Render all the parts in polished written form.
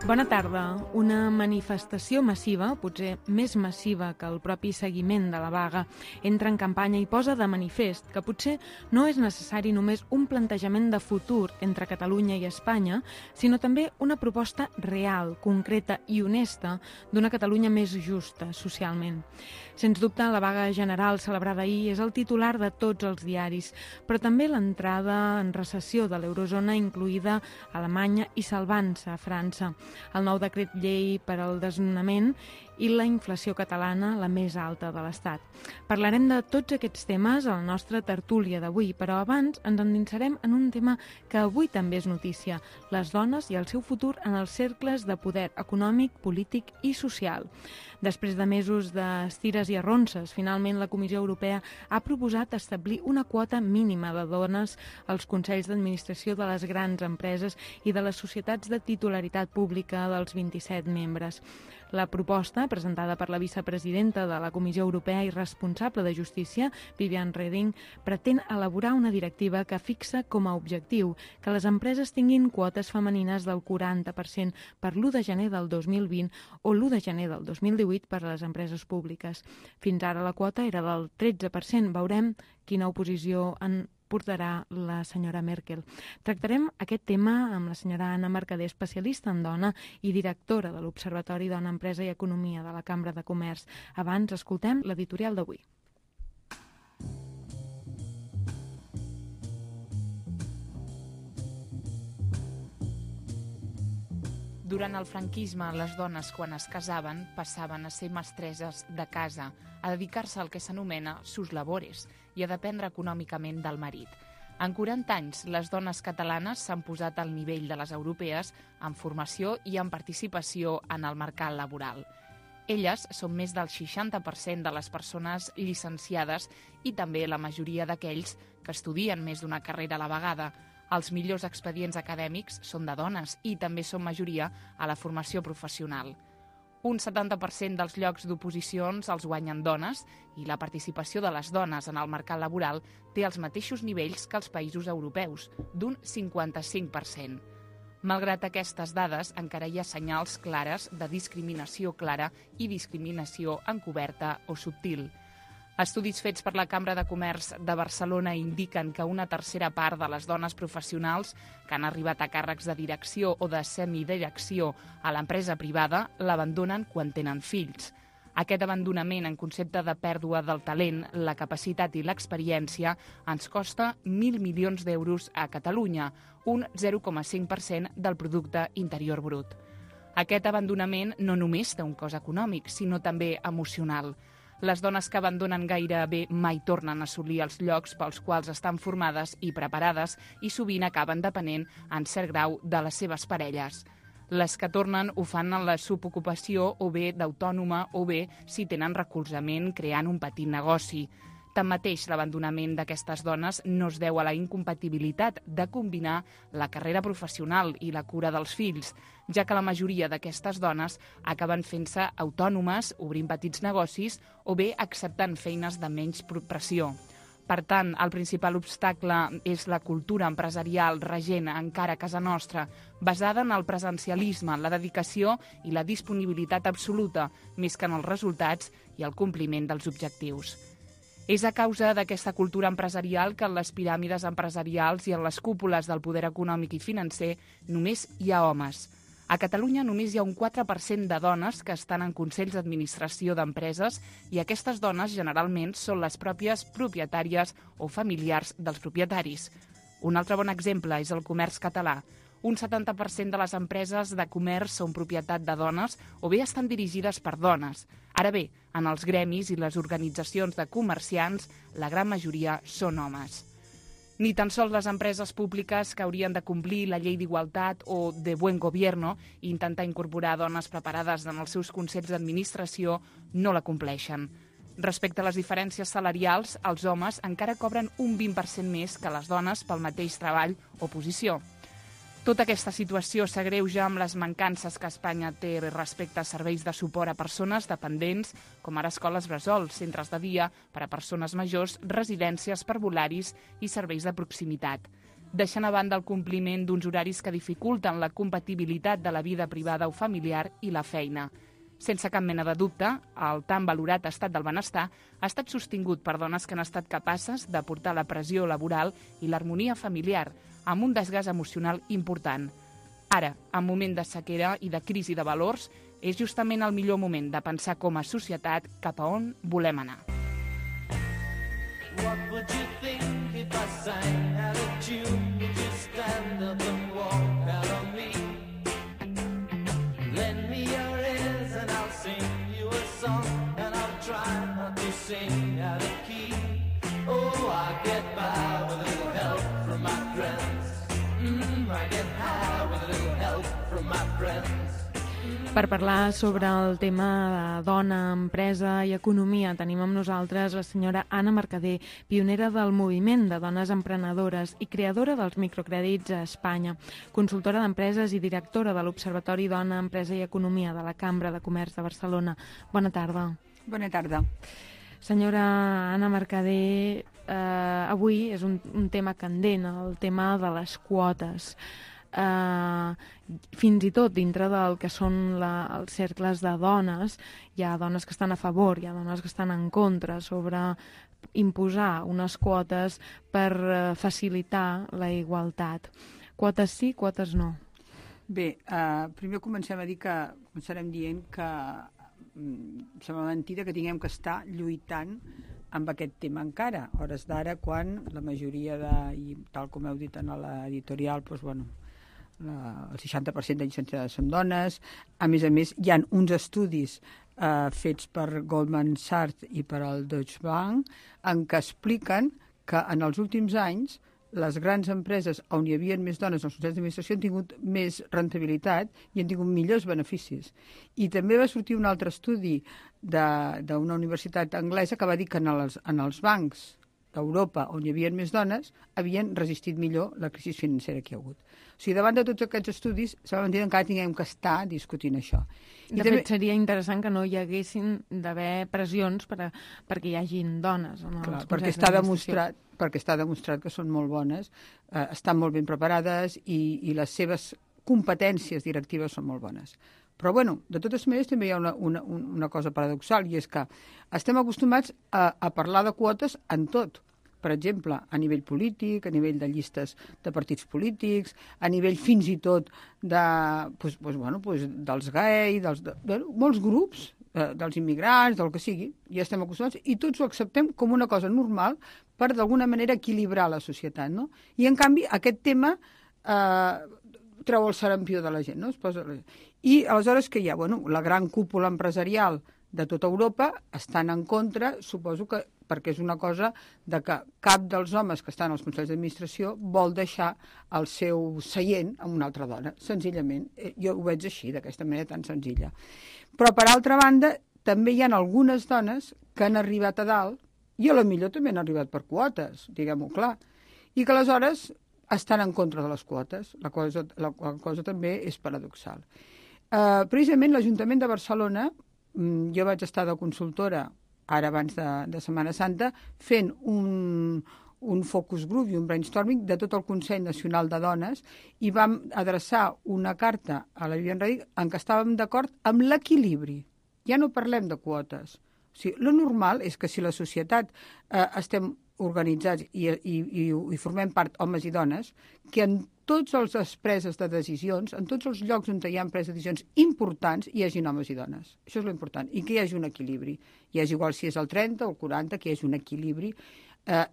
Bona tarda. Una manifestació massiva, potser més massiva que el propi seguiment de la vaga, entra en campanya i posa de manifest que potser no és necessari només un plantejament de futur entre Catalunya i Espanya, sinó també una proposta real, concreta i honesta d'una Catalunya més justa socialment. Sens dubte, la vaga general celebrada ahir és el titular de tots els diaris, però també l'entrada en recessió de l'eurozona, incloïda Alemanya, i salvant-se a França, el nou decret llei per al desnonament i la inflació catalana, la més alta de l'Estat. Parlarem de tots aquests temes a la nostra tertúlia d'avui, però abans ens endinsarem en un tema que avui també és notícia: les dones i el seu futur en els cercles de poder econòmic, polític i social. Després de mesos d'estires i arronses, finalment la Comissió Europea ha proposat establir una quota mínima de dones als consells d'administració de les grans empreses i de les societats de titularitat pública dels 27 membres. La proposta, presentada per la vicepresidenta de la Comissió Europea i responsable de Justícia, Viviane Reding, pretén elaborar una directiva que fixa com a objectiu que les empreses tinguin quotes femenines del 40% per l'1 de gener del 2020 o l'1 de gener del 2018 per a les empreses públiques. Fins ara la quota era del 13%. Veurem quina oposició en portarà la senyora Merkel. Tractarem aquest tema amb la senyora Anna Mercader, especialista en dona i directora de l'Observatori Dona, Empresa i Economia de la Cambra de Comerç. Abans, escoltem l'editorial d'avui. Durant el franquisme, les dones, quan es casaven, passaven a ser mestresses de casa, a dedicar-se al que s'anomena sus labores i a dependre econòmicament del marit. En 40 anys, les dones catalanes s'han posat al nivell de les europees en formació i en participació en el mercat laboral. Elles són més del 60% de les persones llicenciades i també la majoria d'aquells que estudien més d'una carrera a la vegada. Els millors expedients acadèmics són de dones i també són majoria a la formació professional. Un 70% dels llocs d'oposicions els guanyen dones i la participació de les dones en el mercat laboral té els mateixos nivells que els països europeus, d'un 55%. Malgrat aquestes dades, encara hi ha senyals clares de discriminació clara i discriminació encoberta o subtil. Estudis fets per la Cambra de Comerç de Barcelona indiquen que una tercera part de les dones professionals que han arribat a càrrecs de direcció o de semidirecció a l'empresa privada l'abandonen quan tenen fills. Aquest abandonament en concepte de pèrdua del talent, la capacitat i l'experiència ens costa 1.000 milions d'euros a Catalunya, un 0,5% del producte interior brut. Aquest abandonament no només té un cost econòmic, sinó també emocional. Les dones que abandonen gairebé mai tornen a assolir els llocs pels quals estan formades i preparades i sovint acaben depenent en cert grau de les seves parelles. Les que tornen ho fan en la subocupació o bé d'autònoma o bé si tenen recolzament creant un petit negoci. Tanmateix, l'abandonament d'aquestes dones no es deu a la incompatibilitat de combinar la carrera professional i la cura dels fills, ja que la majoria d'aquestes dones acaben fent-se autònomes, obrint petits negocis o bé acceptant feines de menys pressió. Per tant, el principal obstacle és la cultura empresarial regent encara a casa nostra, basada en el presencialisme, la dedicació i la disponibilitat absoluta, més que en els resultats i el compliment dels objectius. És a causa d'aquesta cultura empresarial que en les piràmides empresarials i en les cúpules del poder econòmic i financer només hi ha homes. A Catalunya només hi ha un 4% de dones que estan en consells d'administració d'empreses i aquestes dones generalment són les pròpies propietàries o familiars dels propietaris. Un altre bon exemple és el comerç català. Un 70% de les empreses de comerç són propietat de dones o bé estan dirigides per dones. Ara bé, en els gremis i les organitzacions de comerciants, la gran majoria són homes. Ni tan sols les empreses públiques que haurien de complir la llei d'igualtat o de buen gobierno i intentar incorporar dones preparades en els seus consells d'administració no la compleixen. Respecte a les diferències salarials, els homes encara cobren un 20% més que les dones pel mateix treball o posició. Tota aquesta situació s'agreuja amb les mancances que Espanya té respecte a serveis de suport a persones dependents, com ara escoles bressol, centres de dia per a persones majors, residències parvularis i serveis de proximitat. deixant a banda el compliment d'uns horaris que dificulten la compatibilitat de la vida privada o familiar i la feina. Sense cap mena de dubte, el tan valorat estat del benestar ha estat sostingut per dones que han estat capaces de portar la pressió laboral i l'harmonia familiar, amb un desgast emocional important. Ara, en moment de sequera i de crisi de valors, és justament el millor moment de pensar com a societat cap a on volem anar. What would you think if I sang out a tune? Would you stand up and walk out on me? Lend me your ears and I'll sing you a song, and I'll try not to sing out of key. Oh, I get by with a little help from my friends. I get high with a little help from my friends. Per parlar sobre el tema de dona, empresa i economia, tenim amb nosaltres la senyora Anna Mercader, pionera del moviment de dones emprenedores i creadora dels microcrèdits a Espanya, consultora d'empreses i directora de l'Observatori Dona, Empresa i Economia de la Cambra de Comerç de Barcelona. Bona tarda. Bona tarda. Senyora Anna Mercader, avui és un tema candent, el tema de les quotes. Fins i tot dintre del que són els cercles de dones, hi ha dones que estan a favor, hi ha dones que estan en contra sobre imposar unes quotes per facilitar la igualtat. Quotes sí, quotes no. Bé, primer començarem dient que sembla mentida que tinguem que estar lluitant amb aquest tema encara, a hores d'ara, quan la majoria i tal com heu dit en l'editorial, doncs, bueno, el 60% de llicenciades són dones. A més, hi ha uns estudis fets per Goldman Sachs i per el Deutsche Bank en què expliquen que en els últims anys les grans empreses on hi havia més dones als consells d'administració han tingut més rendibilitat i han tingut millors beneficis. I també va sortir un altre estudi d'una universitat anglesa que va dir que en els bancs d'Europa, on hi havia més dones, havien resistit millor la crisi financera que hi ha hagut. O sigui, davant de tots aquests estudis, s'ha dit que encara tinguem que estar discutint això. De fet, seria interessant que no hi haguessin d'haver pressions perquè hi hagin dones. Clar, perquè està demostrat que són molt bones, estan molt ben preparades i les seves competències directives són molt bones. Però, bueno, de totes maneres també hi ha una cosa paradoxal, i és que estem acostumats a parlar de quotes en tot. Per exemple, a nivell polític, a nivell de llistes de partits polítics, a nivell fins i tot dels gai, molts grups, dels immigrants, del que sigui, ja estem acostumats, i tots ho acceptem com una cosa normal per, d'alguna manera, equilibrar la societat, no? I, en canvi, aquest tema treu el sarampió de la gent, no? I, aleshores, què hi ha? Bueno, la gran cúpula empresarial de tota Europa estan en contra, suposo que perquè és una cosa de que cap dels homes que estan als consells d'administració vol deixar el seu seient a una altra dona, senzillament. Jo ho veig així, d'aquesta manera tan senzilla. Però, per altra banda, també hi ha algunes dones que han arribat a dalt, i a lo millor també han arribat per quotes, diguem-ho clar, i que aleshores estan en contra de les quotes, la cosa també és paradoxal. Precisament l'Ajuntament de Barcelona, jo vaig estar de consultora ara abans de Setmana Santa, fent un focus group i un brainstorming de tot el Consell Nacional de Dones, i vam adreçar una carta a la Viviane Reding en què estàvem d'acord amb l'equilibri. Ja no parlem de quotes. O sigui, lo normal és que si la societat estem organitzats i formem part homes i dones, que en tots els preses de decisions, en tots els llocs on hi ha preses de decisions importants, hi hagi homes i dones. Això és l'important. I que hi hagi un equilibri. I és igual si és el 30 o el 40, que hi hagi un equilibri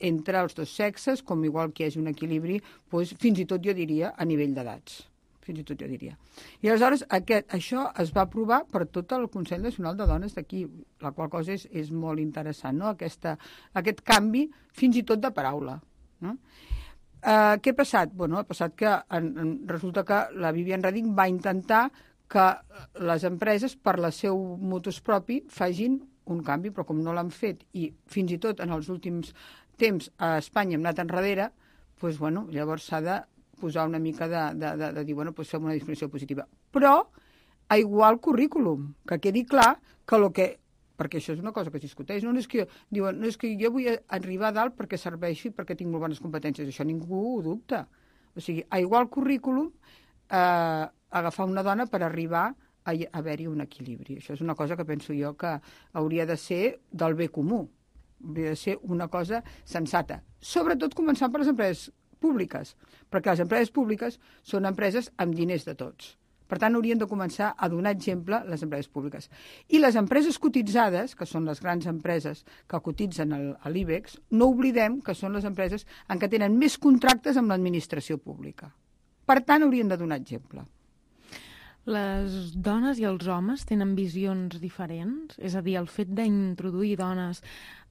entre els dos sexes, com igual que hi hagi un equilibri, fins i tot jo diria a nivell d'edats. Fins i tot jo diria. I aleshores això es va aprovar per tot el Consell Nacional de Dones d'aquí, la qual cosa és molt interessant, no? Aquest canvi fins i tot de paraula. No? Què ha passat? Bueno, ha passat que resulta que la Viviane Reding va intentar que les empreses, per la seu motus propi, facin un canvi, però com no l'han fet, i fins i tot en els últims temps a Espanya hem anat enrere, doncs, bueno, llavors s'ha de posar una mica de dir, bueno, doncs fem una discriminació positiva. Però, a igual currículum, que quedi clar que perquè això és una cosa que es discuteix, no és que diuen, no és que jo vull arribar a dalt perquè serveixi, perquè tinc molt bones competències, això ningú ho dubta. O sigui, a igual currículum, agafar una dona per arribar a haver-hi un equilibri. Això és una cosa que penso jo que hauria de ser del bé comú. Hauria de ser una cosa sensata. Sobretot començant per les empreses públiques, perquè les empreses públiques són empreses amb diners de tots. Per tant, haurien de començar a donar exemple les empreses públiques. I les empreses cotitzades, que són les grans empreses que cotitzen a l'IBEX, no oblidem que són les empreses en què tenen més contractes amb l'administració pública. Per tant, haurien de donar exemple. Les dones i els homes tenen visions diferents? És a dir, el fet d'introduir dones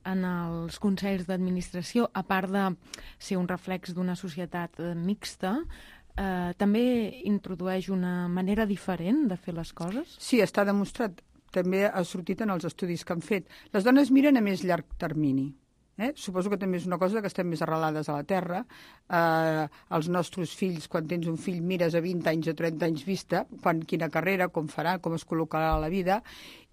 en els consells d'administració, a part de ser un reflex d'una societat mixta, també introdueix una manera diferent de fer les coses? Sí, està demostrat. També ha sortit en els estudis que han fet. Les dones miren a més llarg termini. Suposo que també és una cosa que estem més arrelades a la terra. Els nostres fills, quan tens un fill, mires a 20 anys o 30 anys vista, quina carrera, com farà, com es col·locarà a la vida,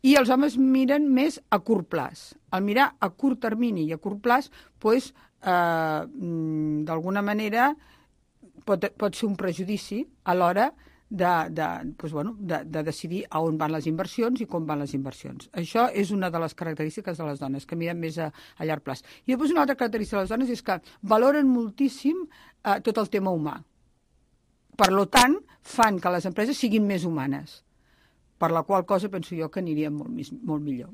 i els homes miren més a curt plaç. Al mirar a curt termini i a curt plaç, doncs, d'alguna manera pot ser un prejudici a l'hora de decidir a on van les inversions i com van les inversions. Això és una de les característiques de les dones, que miren més a llarg plaç. I després una altra característica de les dones és que valoren moltíssim tot el tema humà. Per tant, fan que les empreses siguin més humanes, per la qual cosa penso jo que anirien molt millor.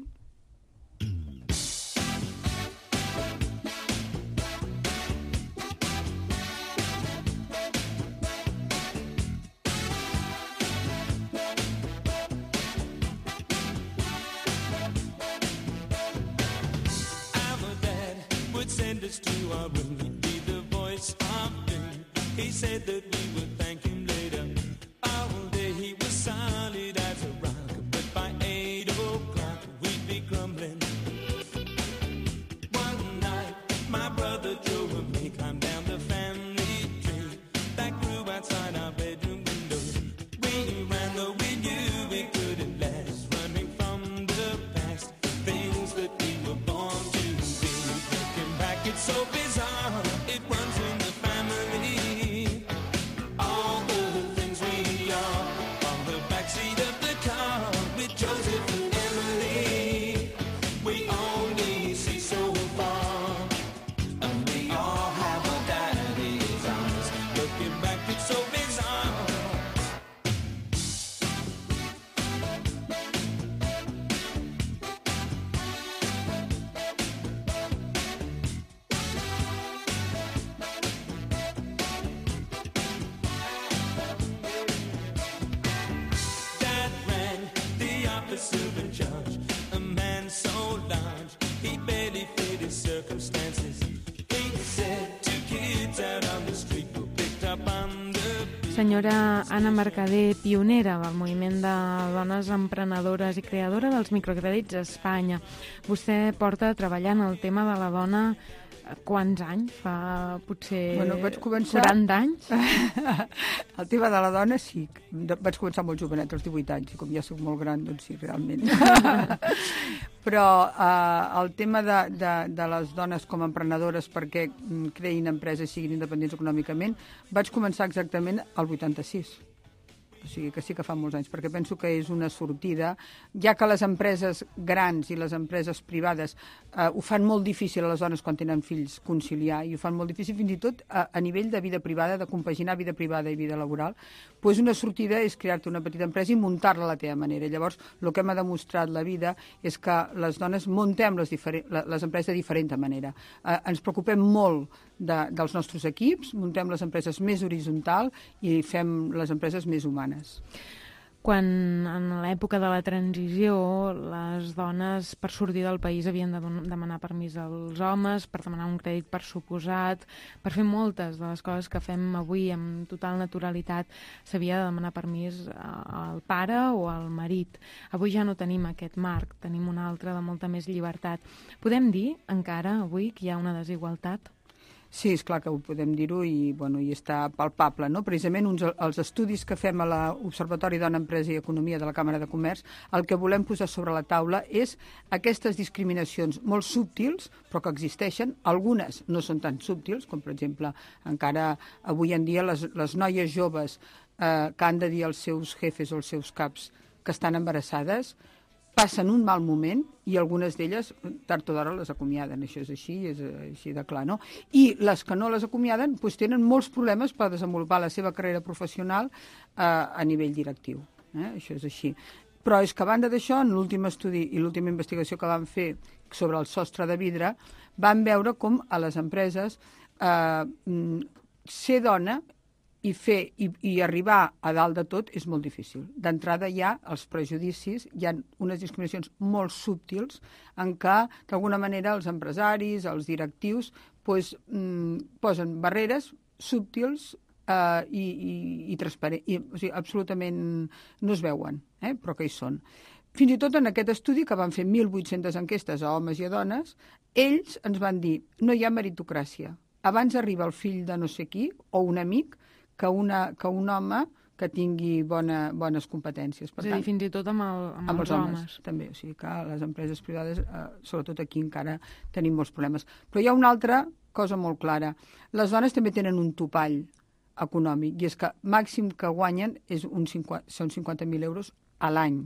Send us to our room, he'd be the voice of doom. He said that we would thank him later. All day he was solid as a rock, but by 8 o'clock we'd be grumbling. One night my brother Joe and me climbed down the family tree that grew outside our bedroom window. We ran though we knew we couldn't last, running from the past, things that we were born to. It's so bizarre, it runs in the family. All the things we are on the backseat of the car with Joseph and Emily. We only see so far, and we all have a daddy's eyes. Looking back, it's so bizarre. Judge, a man so large, he barely fit his circumstances. He said 2 kids out on the street were picked up on the... Senyora Anna Mercader, pionera del moviment de dones emprenedores i creadora dels microcrèdits a Espanya. Vostè porta treballant el tema de la dona quants anys? Fa potser vaig començar... 40 anys? El tema de la dona sí. Vaig començar molt jovenet, als 18 anys, i com ja soc molt gran, doncs sí, realment. Però el tema de les dones com a emprenedores perquè creïn empreses i siguin independents econòmicament, vaig començar exactament al 86. O sigui que sí que fa molts anys, perquè penso que és una sortida, ja que les empreses grans i les empreses privades ho fan molt difícil a les dones quan tenen fills conciliar, i ho fan molt difícil fins i tot a nivell de vida privada, de compaginar vida privada i vida laboral, doncs una sortida és crear-te una petita empresa i muntar-la a la teva manera. Llavors, el que m'ha demostrat la vida és que les dones muntem les empreses de diferent manera. Ens preocupem molt dels nostres equips, muntem les empreses més horitzontal i fem les empreses més humanes. Quan en l'època de la transició les dones per sortir del país havien de demanar permís als homes, per demanar un crèdit per suposat, per fer moltes de les coses que fem avui amb total naturalitat, s'havia de demanar permís al pare o al marit. Avui ja no tenim aquest marc, tenim un altre de molta més llibertat. Podem dir encara avui que hi ha una desigualtat? Sí, és clar que ho podem dir-ho i està palpable, no? Precisament els estudis que fem a l'Observatori Dona, Empresa i Economia de la Càmera de Comerç, el que volem posar sobre la taula és aquestes discriminacions molt subtils, però que existeixen. Algunes no són tan subtils, com per exemple, encara avui en dia les noies joves que han de dir als seus jefes o als seus caps que estan embarassades, passen un mal moment i algunes d'elles tard o d'hora les acomiaden. Això és així de clar, no? I les que no les acomiaden doncs, tenen molts problemes per desenvolupar la seva carrera professional a nivell directiu. Això és així. Però és que a banda d'això, en l'últim estudi i l'última investigació que vam fer sobre el sostre de vidre, vam veure com a les empreses ser dona i arribar a dalt de tot és molt difícil. D'entrada hi ha els prejudicis, hi ha unes discriminacions molt subtils en què, d'alguna manera, els empresaris, els directius, posen barreres subtils i transparents, o sigui, absolutament no es veuen, però que hi són. Fins i tot en aquest estudi, que van fer 1.800 enquestes a homes i a dones, ells ens van dir no hi ha meritocràcia. Abans arriba el fill de no sé qui o un amic que un home que tingui bones competències. Per tant, fins i tot amb els homes. També, o sigui que a les empreses privades, sobretot aquí encara tenim molts problemes. Però hi ha una altra cosa molt clara. Les dones també tenen un topall econòmic, i és que màxim que guanyen són 50.000 euros a l'any.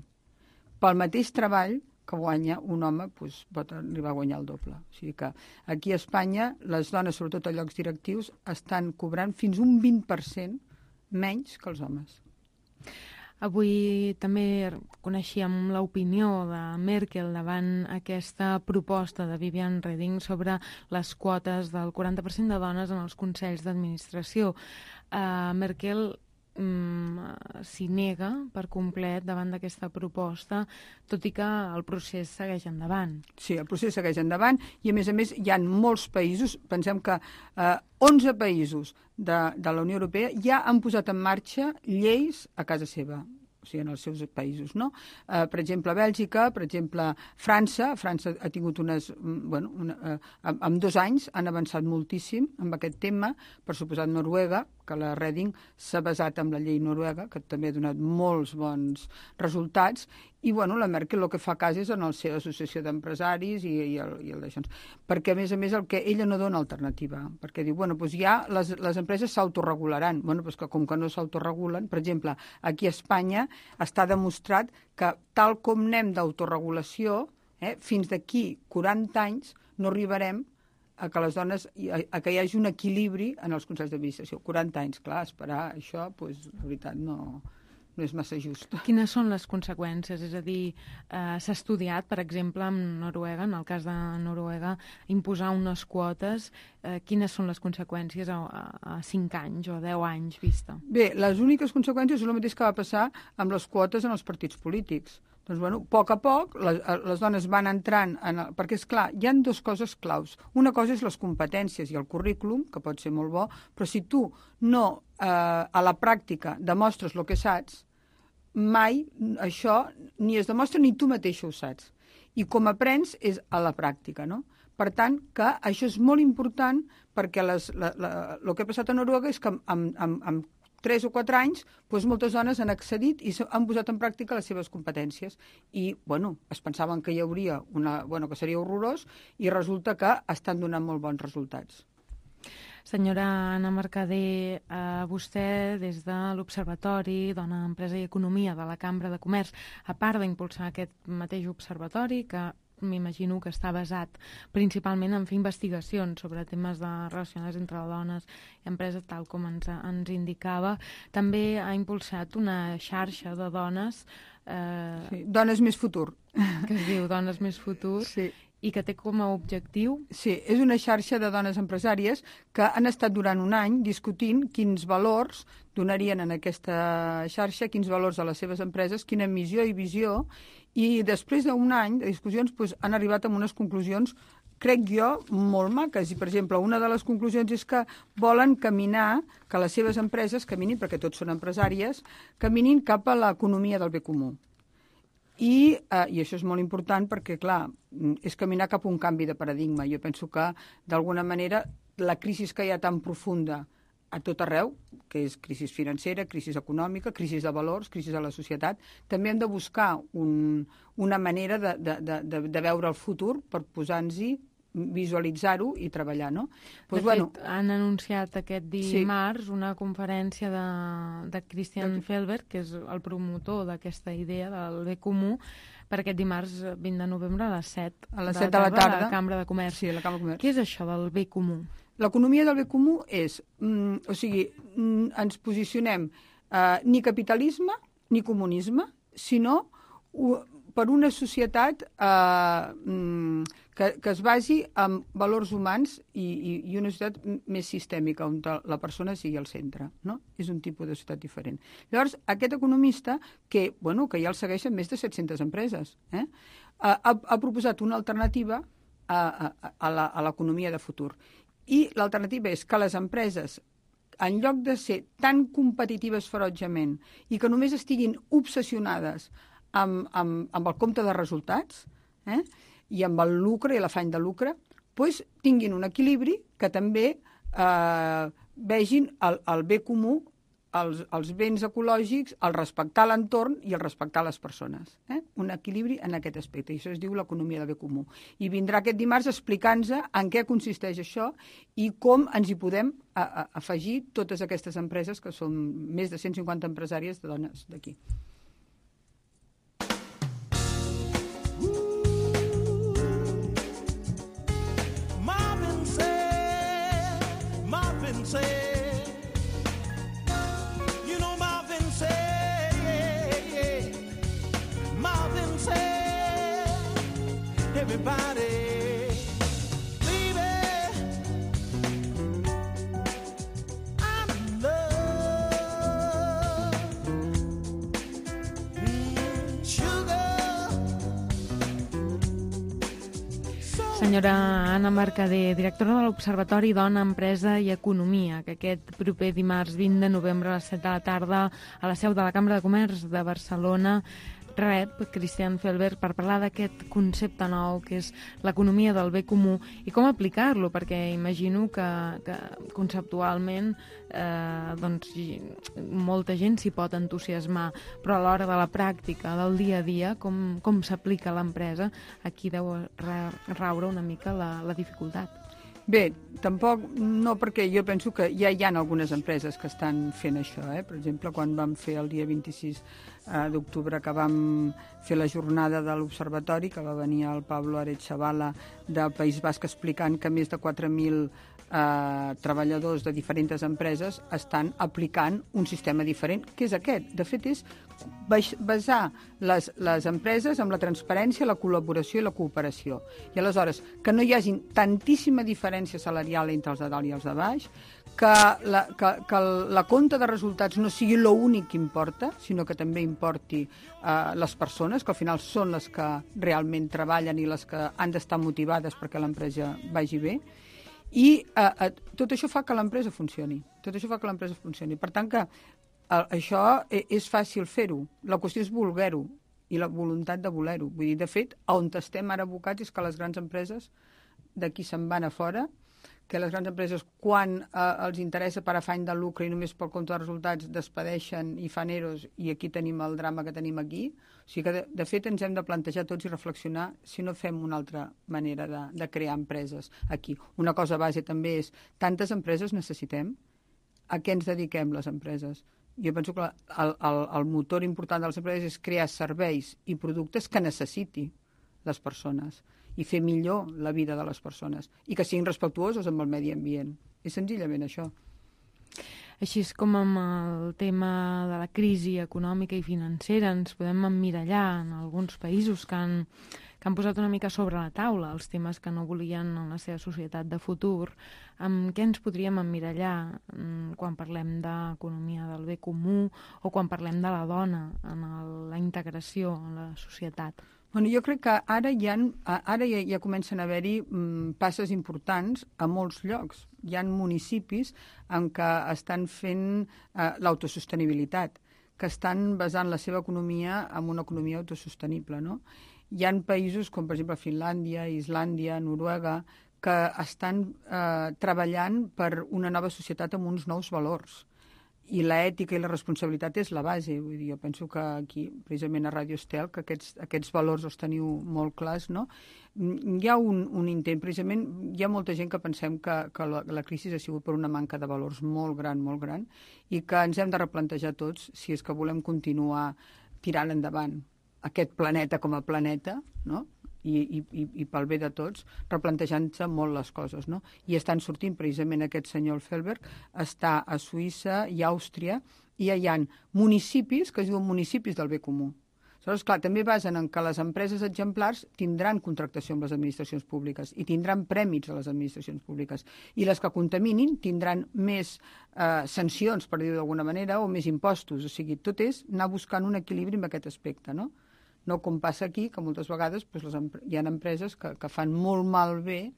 Pel mateix treball que guanya un home, pot arribar a guanyar el doble. O sigui que aquí a Espanya les dones, sobretot a llocs directius, estan cobrant fins un 20% menys que els homes. Avui també coneixíem l'opinió de Merkel davant aquesta proposta de Viviane Reding sobre les quotes del 40% de dones en els consells d'administració. Merkel s'hi nega per complet davant d'aquesta proposta, tot i que el procés segueix endavant. Sí, el procés segueix endavant i, a més, hi ha molts països, pensem que 11 països de la Unió Europea ja han posat en marxa lleis a casa seva, o sigui, en els seus països, no? Per exemple, Bèlgica, per exemple, França ha tingut en 2 anys han avançat moltíssim amb aquest tema, per suposat Noruega, que la Reding s'ha basat en la llei noruega, que també ha donat molts bons resultats, i la Merkel el que fa cas és en la seva associació d'empresaris i el d'això. Perquè, a més, el que ella no dona alternativa, perquè diu, ja les empreses s'autoregularan. Que com que no s'autoregulen, per exemple, aquí a Espanya està demostrat que tal com anem d'autoregulació, fins d'aquí 40 anys no arribarem a que les dones, a que hi hagi un equilibri en els consells d'administració. 40 anys, clar, esperar això, la veritat, no és massa just. Quines són les conseqüències? És a dir, s'ha estudiat, per exemple, en Noruega, en el cas de Noruega, imposar unes quotes. Quines són les conseqüències a 5 anys o 10 anys vista? Bé, les úniques conseqüències són el mateix que va passar amb les quotes en els partits polítics. Doncs, a poc a poc, les dones van entrant perquè, és clar, hi ha 2 coses claus. Una cosa és les competències i el currículum, que pot ser molt bo, però si tu no, a la pràctica, demostres el que saps, mai això ni es demostra ni tu mateixa ho saps. I com aprens és a la pràctica, no? Per tant, que això és molt important perquè el que ha passat a Noruega és que amb 3 o 4 anys, moltes dones han accedit i han posat en pràctica les seves competències. I, es pensaven que hi hauria que seria horrorós i resulta que estan donant molt bons resultats. Senyora Anna Mercader, vostè, des de l'Observatori Dona, Empresa i Economia de la Cambra de Comerç, a part d'impulsar aquest mateix observatori, que m'imagino que està basat principalment en fer investigacions sobre temes relacionats entre dones i empreses, tal com ens indicava, també ha impulsat una xarxa de dones... Sí, Dones Més Futur. Que es diu Dones Més Futur. Sí. I que té com a objectiu... Sí, és una xarxa de dones empresàries que han estat durant un any discutint quins valors donarien en aquesta xarxa, quins valors a les seves empreses, quina missió i visió, i després d'un any de discussions han arribat a unes conclusions, crec jo, molt maques. I, per exemple, una de les conclusions és que volen caminar, que les seves empreses caminin, perquè tots són empresàries, caminin cap a l'economia del bé comú. I això és molt important perquè, clar, és caminar cap a un canvi de paradigma. Jo penso que, d'alguna manera, la crisi que hi ha tan profunda a tot arreu, que és crisi financera, crisi econòmica, crisi de valors, crisi de la societat, també hem de buscar una manera de veure el futur per posar-nos-hi, visualitzar-ho i treballar, no? De fet, han anunciat aquest dimarts una conferència de Christian Felber, que és el promotor d'aquesta idea del bé comú, per aquest dimarts 20 de novembre a les 7 a les 7 de la tarda, a la Cambra de Comerç. Sí, a la Cambra de Comerç. Què és això del bé comú? L'economia del bé comú és, ens posicionem ni capitalisme ni comunisme, sinó per una societat que es basi en valors humans i una societat més sistèmica, on la persona sigui al centre, no? És un tipus de societat diferent. Llavors, aquest economista, que ja el segueixen més de 700 empreses, ha proposat una alternativa a l'economia de futur. I l'alternativa és que les empreses, en lloc de ser tan competitives ferotgement i que només estiguin obsessionades amb el compte de resultats i amb el lucre i l'afany de lucre, doncs tinguin un equilibri que també vegin el bé comú, els béns ecològics, el respectar l'entorn i el respectar les persones. Un equilibri en aquest aspecte, i això es diu l'economia del bé comú. I vindrà aquest dimarts explicant-nos en què consisteix això i com ens hi podem afegir totes aquestes empreses, que són més de 150 empresàries de dones d'aquí. Everybody, baby, I'm in love. Sugar. Senyora Anna Mercader, directora de l'Observatori Dona, Empresa i Economia, que aquest proper dimarts 20 de novembre a les 7 de la tarda a la seu de la Cambra de Comerç de Barcelona rep Christian Felber per parlar d'aquest concepte nou que és l'economia del bé comú i com aplicar-lo, perquè imagino que conceptualment molta gent s'hi pot entusiasmar, però a l'hora de la pràctica, del dia a dia, com s'aplica a l'empresa, aquí deu raure una mica la dificultat. Bé, tampoc no, perquè jo penso que ja hi ha algunes empreses que estan fent això. Per exemple, quan vam fer el dia 26 d'octubre, que vam fer la jornada de l'Observatori, que va venir el Pablo Aretxabala del País Basc explicant que més de 4.000 treballadors de diferents empreses estan aplicant un sistema diferent, que és aquest. De fet, és basar les empreses en la transparència, la col·laboració i la cooperació. I aleshores, que no hi hagi tantíssima diferència salarial entre els de dalt i els de baix, que la compta de resultats no sigui l'únic que importa, sinó que també importi les persones, que al final són les que realment treballen i les que han d'estar motivades perquè l'empresa vagi bé. I tot això fa que l'empresa funcioni. Per tant, que això és fàcil fer-ho. La qüestió és voler-ho i la voluntat de voler-ho. Vull dir, de fet, on estem ara abocats és que les grans empreses d'aquí se'n van a fora, que les grans empreses, quan els interessa per afany de lucre i només pel compte de resultats, despedeixen i fan eros, i aquí tenim el drama que tenim aquí. O sigui que, de fet, ens hem de plantejar tots i reflexionar si no fem una altra manera de crear empreses aquí. Una cosa base també és, tantes empreses necessitem? A què ens dediquem les empreses? Jo penso que el motor important de les empreses és crear serveis i productes que necessiti les persones i fer millor la vida de les persones i que siguin respectuosos amb el medi ambient. És senzillament això. Així és com amb el tema de la crisi econòmica i financera ens podem emmirallar en alguns països que han posat una mica sobre la taula els temes que no volien en la seva societat de futur. Amb què ens podríem emmirallar quan parlem d'economia del bé comú o quan parlem de la dona en la integració en la societat? Bueno, jo crec que ara ja comencen a haver-hi passes importants a molts llocs. Hi ha municipis en què estan fent l'autosostenibilitat, que estan basant la seva economia en una economia autosostenible, no? Hi ha països com, per exemple, Finlàndia, Islàndia, Noruega, que estan treballant per una nova societat amb uns nous valors. I l'ètica i la responsabilitat és la base. Vull dir, jo penso que aquí, precisament a Ràdio Estel, que aquests valors els teniu molt clars, no? Hi ha un intent, precisament, hi ha molta gent que pensem que la crisi ha sigut per una manca de valors molt gran, i que ens hem de replantejar tots si és que volem continuar tirant endavant aquest planeta com a planeta, no? I pel bé de tots, replantejant-se molt les coses, no? I estan sortint, precisament aquest senyor Felberg, està a Suïssa i a Àustria, i hi ha municipis que es diuen municipis del bé comú. Aleshores, clar, també basen en que les empreses exemplars tindran contractació amb les administracions públiques i tindran prèmits a les administracions públiques. I les que contaminin tindran més sancions, per dir-ho d'alguna manera, o més impostos. O sigui, tot és anar buscant un equilibri en aquest aspecte, no? No com passa aquí, que moltes vegades hi ha empreses que fan molt malbé,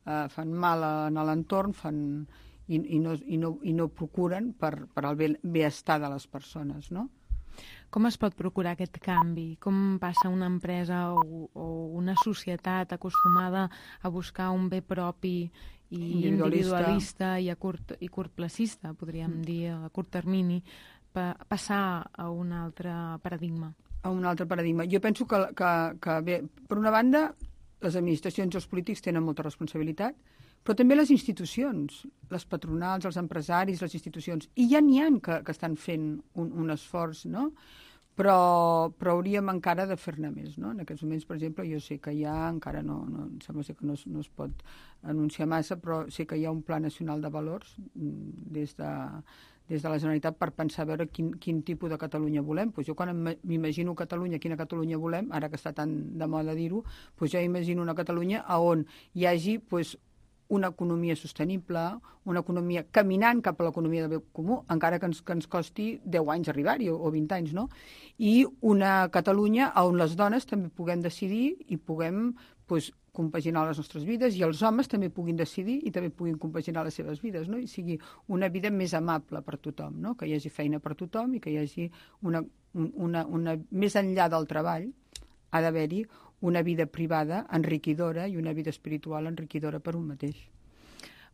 fan mal a l'entorn i no procuren per el benestar de les persones, no? Com es pot procurar aquest canvi? Com passa una empresa o una societat acostumada a buscar un bé propi i individualista i curtplacista, podríem dir, a curt termini, passar a un altre paradigma? A un altre paradigma. Jo penso que bé, per una banda, les administracions i els polítics tenen molta responsabilitat, però també les institucions, les patronals, els empresaris, les institucions. I ja n'hi ha que estan fent un esforç, no? Però hauríem encara de fer-ne més, no? En aquests moments, per exemple, jo sé que encara no em sembla que no es pot anunciar massa, però sé que hi ha un Pla Nacional de Valors des de la Generalitat per pensar a veure quin tipus de Catalunya volem. Pues jo quan m'imagino Catalunya, quina Catalunya volem, ara que està tan de moda dir-ho, pues jo imagino una Catalunya on hi hagi una economia sostenible, una economia caminant cap a l'economia del bé comú, encara que ens costi 10 anys arribar-hi o 20 anys, no? I una Catalunya on les dones també puguem decidir i puguem compaginar les nostres vides, i els homes també puguin decidir i també puguin compaginar les seves vides, no? I sigui una vida més amable per tothom, no? Que hi hagi feina per tothom i que hi hagi més enllà del treball ha d'haver-hi una vida privada enriquidora i una vida espiritual enriquidora per un mateix.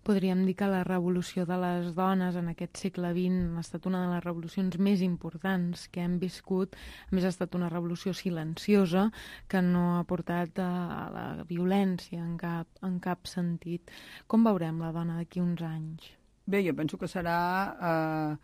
Podríem dir que la revolució de les dones en aquest segle XX ha estat una de les revolucions més importants que hem viscut. A més, ha estat una revolució silenciosa que no ha portat a la violència en cap sentit. Com veurem la dona d'aquí uns anys? Bé, jo penso que serà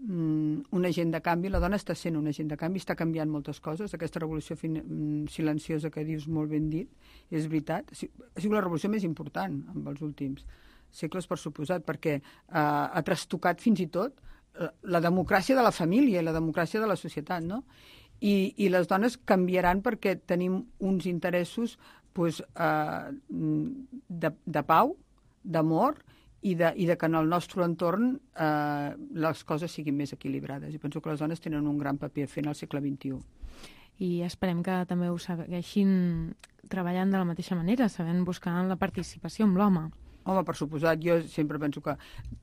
un agent de canvi. La dona està sent un agent de canvi, està canviant moltes coses. Aquesta revolució silenciosa que dius molt ben dit, és veritat. Ha sigut la revolució més important en els últims segles, per suposat, perquè ha trastocat fins i tot la democràcia de la família i la democràcia de la societat, no? I les dones canviaran perquè tenim uns interessos de pau, d'amor, i de que en el nostre entorn les coses siguin més equilibrades. I penso que les dones tenen un gran paper a fer en el segle XXI. I esperem que també ho segueixin treballant de la mateixa manera, sabent buscar la participació amb l'home. Home, per suposat, jo sempre penso que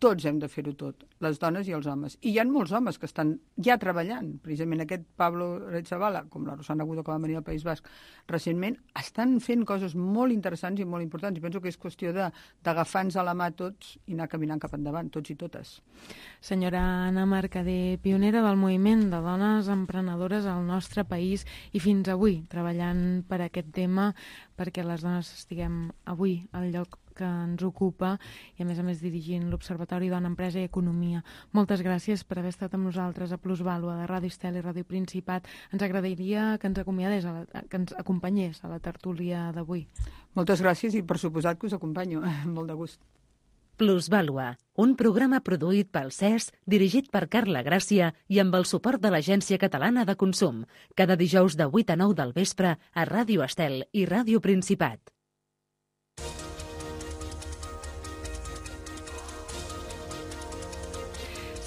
tots hem de fer-ho tot, les dones i els homes. I hi ha molts homes que estan ja treballant. Precisament aquest Pablo Aretxabala, com la Rosana Agudo, que va venir al País Basc recentment, estan fent coses molt interessants i molt importants. I penso que és qüestió d'agafar-nos a la mà tots i anar caminant cap endavant, tots i totes. Senyora Anna Mercader, pionera del moviment de dones emprenedores al nostre país i fins avui treballant per aquest tema, perquè les dones estiguem avui al lloc que ens ocupa i a més dirigint l'Observatori Dona, Empresa i Economia. Moltes gràcies per haver estat amb nosaltres a Plusvàlua de Ràdio Estel i Ràdio Principat. Ens agradaria que ens acomiadés, que ens acompanyés a la tertúlia d'avui. Moltes gràcies i per suposat que us acompanyo. Molt de gust. Plusvàlua, un programa produït pel CES, dirigit per Carla Gràcia i amb el suport de l'Agència Catalana de Consum, cada dijous de 8 a 9 del vespre a Ràdio Estel i Ràdio Principat.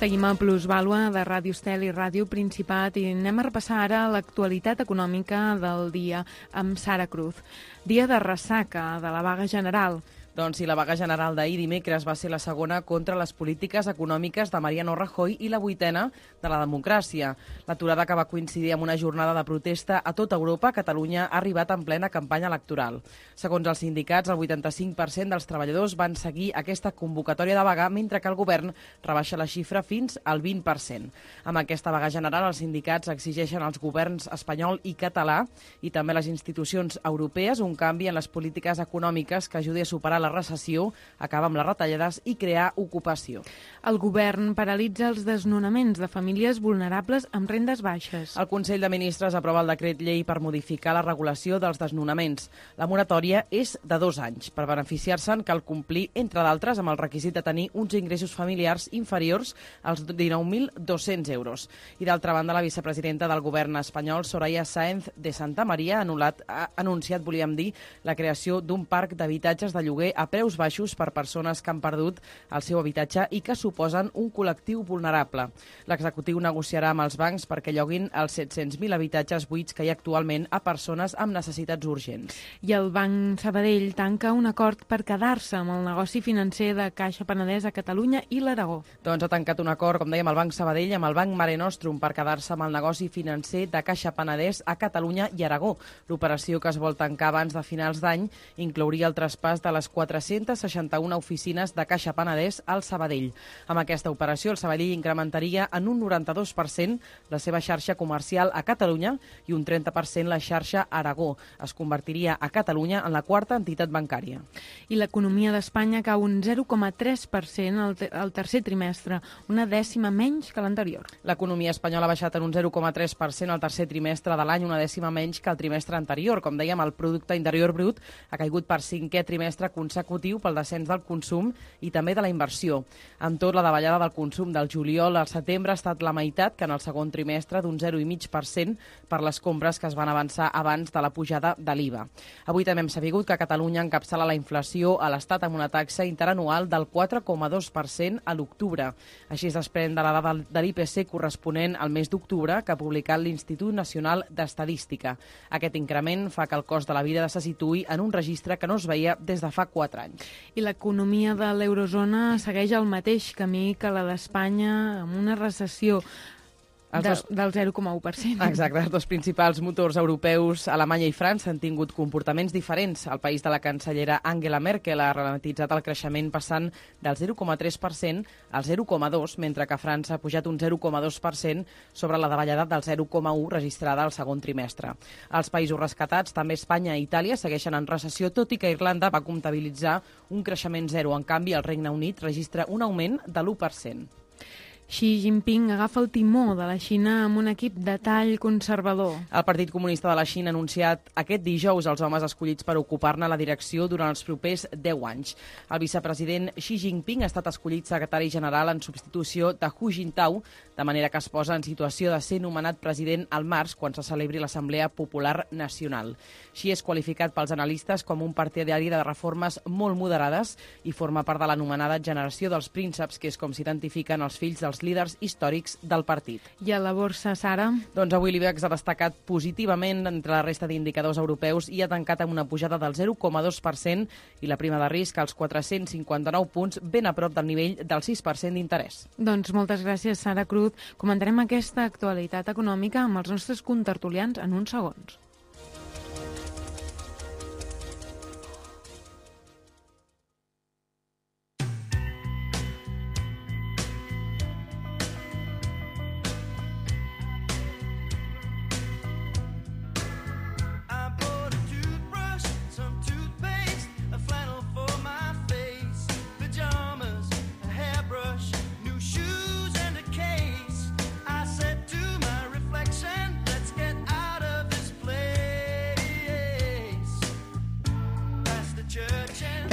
Seguim a Plusvàlua de Ràdio Estel i Ràdio Principat i anem a repassar ara l'actualitat econòmica del dia amb Sara Cruz. Dia de ressaca de la vaga general. Doncs sí, la vaga general d'ahir dimecres va ser la segona contra les polítiques econòmiques de Mariano Rajoy i la 8ª de la democràcia. L'aturada, que va coincidir amb una jornada de protesta a tota Europa, Catalunya ha arribat en plena campanya electoral. Segons els sindicats, el 85% dels treballadors van seguir aquesta convocatòria de vaga, mentre que el govern rebaixa la xifra fins al 20%. Amb aquesta vaga general, els sindicats exigeixen als governs espanyol i català i també les institucions europees un canvi en les polítiques econòmiques que ajudi a superar la recessió, acabar amb les retallades i crear ocupació. El govern paralitza els desnonaments de famílies vulnerables amb rendes baixes. El Consell de Ministres aprova el decret llei per modificar la regulació dels desnonaments. La moratòria és de 2 anys. Per beneficiar-se'n cal complir, entre d'altres, amb el requisit de tenir uns ingressos familiars inferiors als 19.200 euros. I d'altra banda, la vicepresidenta del govern espanyol, Soraya Sáenz de Santamaría, ha anunciat, la creació d'un parc d'habitatges de lloguer a preus baixos per persones que han perdut el seu habitatge i que suposen un col·lectiu vulnerable. L'executiu negociarà amb els bancs perquè lloguin els 700.000 habitatges buits que hi ha actualment a persones amb necessitats urgents. I el Banc Sabadell tanca un acord per quedar-se amb el negoci financer de Caixa Penedès a Catalunya i l'Aragó. Doncs ha tancat un acord, com dèiem, el Banc Sabadell amb el Banc Mare Nostrum per quedar-se amb el negoci financer de Caixa Penedès a Catalunya i Aragó. L'operació, que es vol tancar abans de finals d'any, inclouria el traspàs de les 461 oficines de Caixa Penedès al Sabadell. Amb aquesta operació, el Sabadell incrementaria en un 92% la seva xarxa comercial a Catalunya i un 30% la xarxa Aragó. Es convertiria a Catalunya en la 4ª entitat bancària. I l'economia d'Espanya cau un 0,3% al tercer trimestre, una dècima menys que l'anterior. L'economia espanyola ha baixat en un 0,3% al tercer trimestre de l'any, una dècima menys que el trimestre anterior. Com dèiem, el producte interior brut ha caigut per 5è trimestre consecutiu pel descens del consum i també de la inversió. Amb tot, la davallada del consum del juliol al setembre ha estat la meitat que en el segon trimestre, d'un 0,5% per les compres que es van avançar abans de la pujada de l'IVA. Avui també hem sabut que Catalunya encapçala la inflació a l'Estat amb una taxa interanual del 4,2% a l'octubre. Així es desprèn de la dada de l'IPC corresponent al mes d'octubre que ha publicat l'Institut Nacional d'Estadística. Aquest increment fa que el cost de la vida se situï en un registre que no es veia des de fa 4 anys. I l'economia de l'eurozona segueix el mateix camí que la d'Espanya, amb una recessió del 0,1%. Exacte, els dos principals motors europeus, Alemanya i França, han tingut comportaments diferents. El país de la cancellera Angela Merkel ha ralentitzat el creixement passant del 0,3% al 0,2%, mentre que França ha pujat un 0,2% sobre la davallada del 0,1% registrada al segon trimestre. Els països rescatats, també Espanya i Itàlia, segueixen en recessió, tot i que Irlanda va comptabilitzar un creixement zero. En canvi, el Regne Unit registra un augment de l'1%. Xi Jinping agafa el timó de la Xina amb un equip de tall conservador. El Partit Comunista de la Xina ha anunciat aquest dijous els homes escollits per ocupar-ne la direcció durant els propers 10 anys. El vicepresident Xi Jinping ha estat escollit secretari general en substitució de Hu Jintao, de manera que es posa en situació de ser nomenat president al març quan se celebri l'Assemblea Popular Nacional. Xi és qualificat pels analistes com un partidari de reformes molt moderades i forma part de l'anomenada generació dels prínceps, que és com s'identifiquen els fills dels líders històrics del partit. I a la borsa, Sara? Doncs avui l'IBEX ha destacat positivament entre la resta d'indicadors europeus i ha tancat amb una pujada del 0,2% i la prima de risc als 459 punts, ben a prop del nivell del 6% d'interès. Doncs moltes gràcies, Sara Cruz. Comentarem aquesta actualitat econòmica amb els nostres contertulians en uns segons.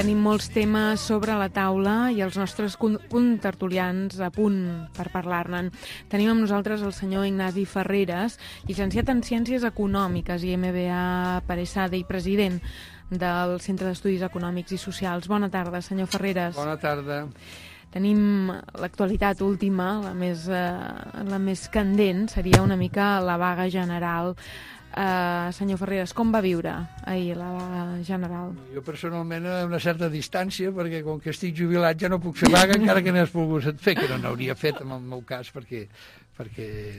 Tenim molts temes sobre la taula i els nostres contertulians a punt per parlar-ne. Tenim amb nosaltres el senyor Ignasi Ferreres, llicenciat en Ciències Econòmiques i MBA per ESADE i president del Centre d'Estudis Econòmics i Socials. Bona tarda, senyor Ferreres. Bona tarda. Tenim l'actualitat última, la més candent, seria una mica la vaga general. Senyor Ferreres, com va viure ahir la vaga general? Jo personalment a una certa distància, perquè com que estic jubilat ja no puc fer vaga, encara que n'has pogut fer, que no n'hauria fet en el meu cas, perquè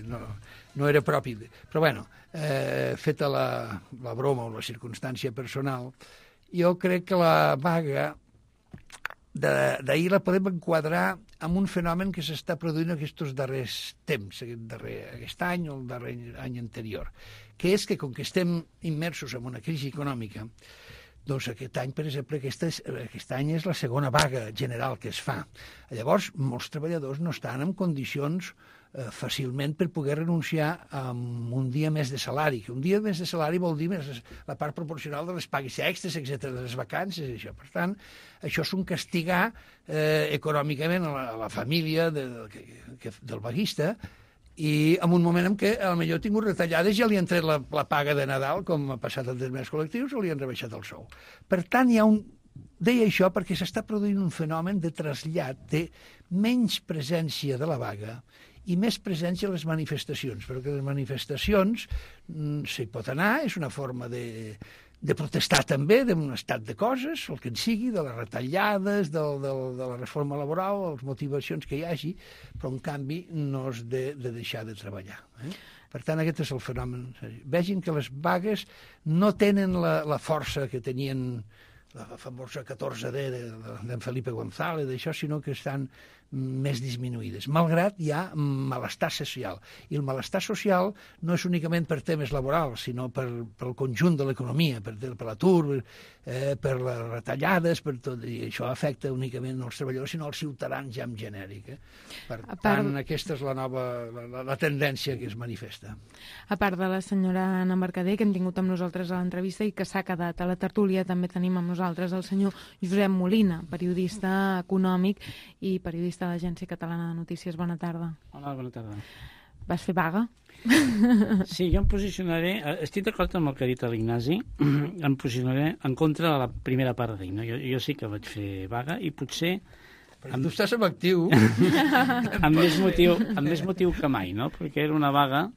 no era propi. Però bueno, feta la broma o la circumstància personal, jo crec que la vaga d'ahir la podem enquadrar amb un fenomen que s'està produint aquests darrers temps, aquest any o el darrer any anterior, que és que com que estem immersos en una crisi econòmica, doncs aquest any, per exemple, aquest any és la segona vaga general que es fa. Llavors, molts treballadors no estan en condicions fàcilment per poder renunciar a un dia més de salari, que un dia més de salari vol dir més la part proporcional de les pagues extres, etc., de les vacances, i això. Per tant, això és un castigar econòmicament a la família del vaguista, i en un moment en què potser ha tingut retallades, ja li han tret la paga de Nadal, com ha passat en determinats col·lectius, o li han rebaixat el sou. Per tant, deia això perquè s'està produint un fenomen de trasllat, de menys presència de la vaga i més presència a les manifestacions, perquè les manifestacions s'hi pot anar, és una forma de protestar també d'un estat de coses, el que en sigui, de les retallades, de la reforma laboral, les motivacions que hi hagi, però en canvi no és de deixar de treballar. Per tant, aquest és el fenomen. Vegin que les vagues no tenen la força que tenien la famosa 14D d'en Felipe González, d'això, sinó que estan més disminuïdes, malgrat hi ha malestar social. I el malestar social no és únicament per temes laborals, sinó pel conjunt de l'economia, per l'atur, per les retallades, per tot, i això afecta únicament no els treballadors, sinó els ciutadans ja en genèric. Per tant, aquesta és la tendència que es manifesta. A part de la senyora Anna Mercader, que hem tingut amb nosaltres a l'entrevista i que s'ha quedat a la tertúlia, també tenim amb nosaltres el senyor Josep Molina, periodista econòmic i periodista de l'Agència Catalana de Notícies. Bona tarda. Hola, bona tarda. Vas fer vaga? Sí, jo em posicionaré, estic d'acord amb el que ha dit l'Ignasi, em posicionaré en contra de la primera part d'ell. No? Jo sí que vaig fer vaga i potser... Però tu estàs en actiu. amb més motiu que mai, no? Perquè era una vaga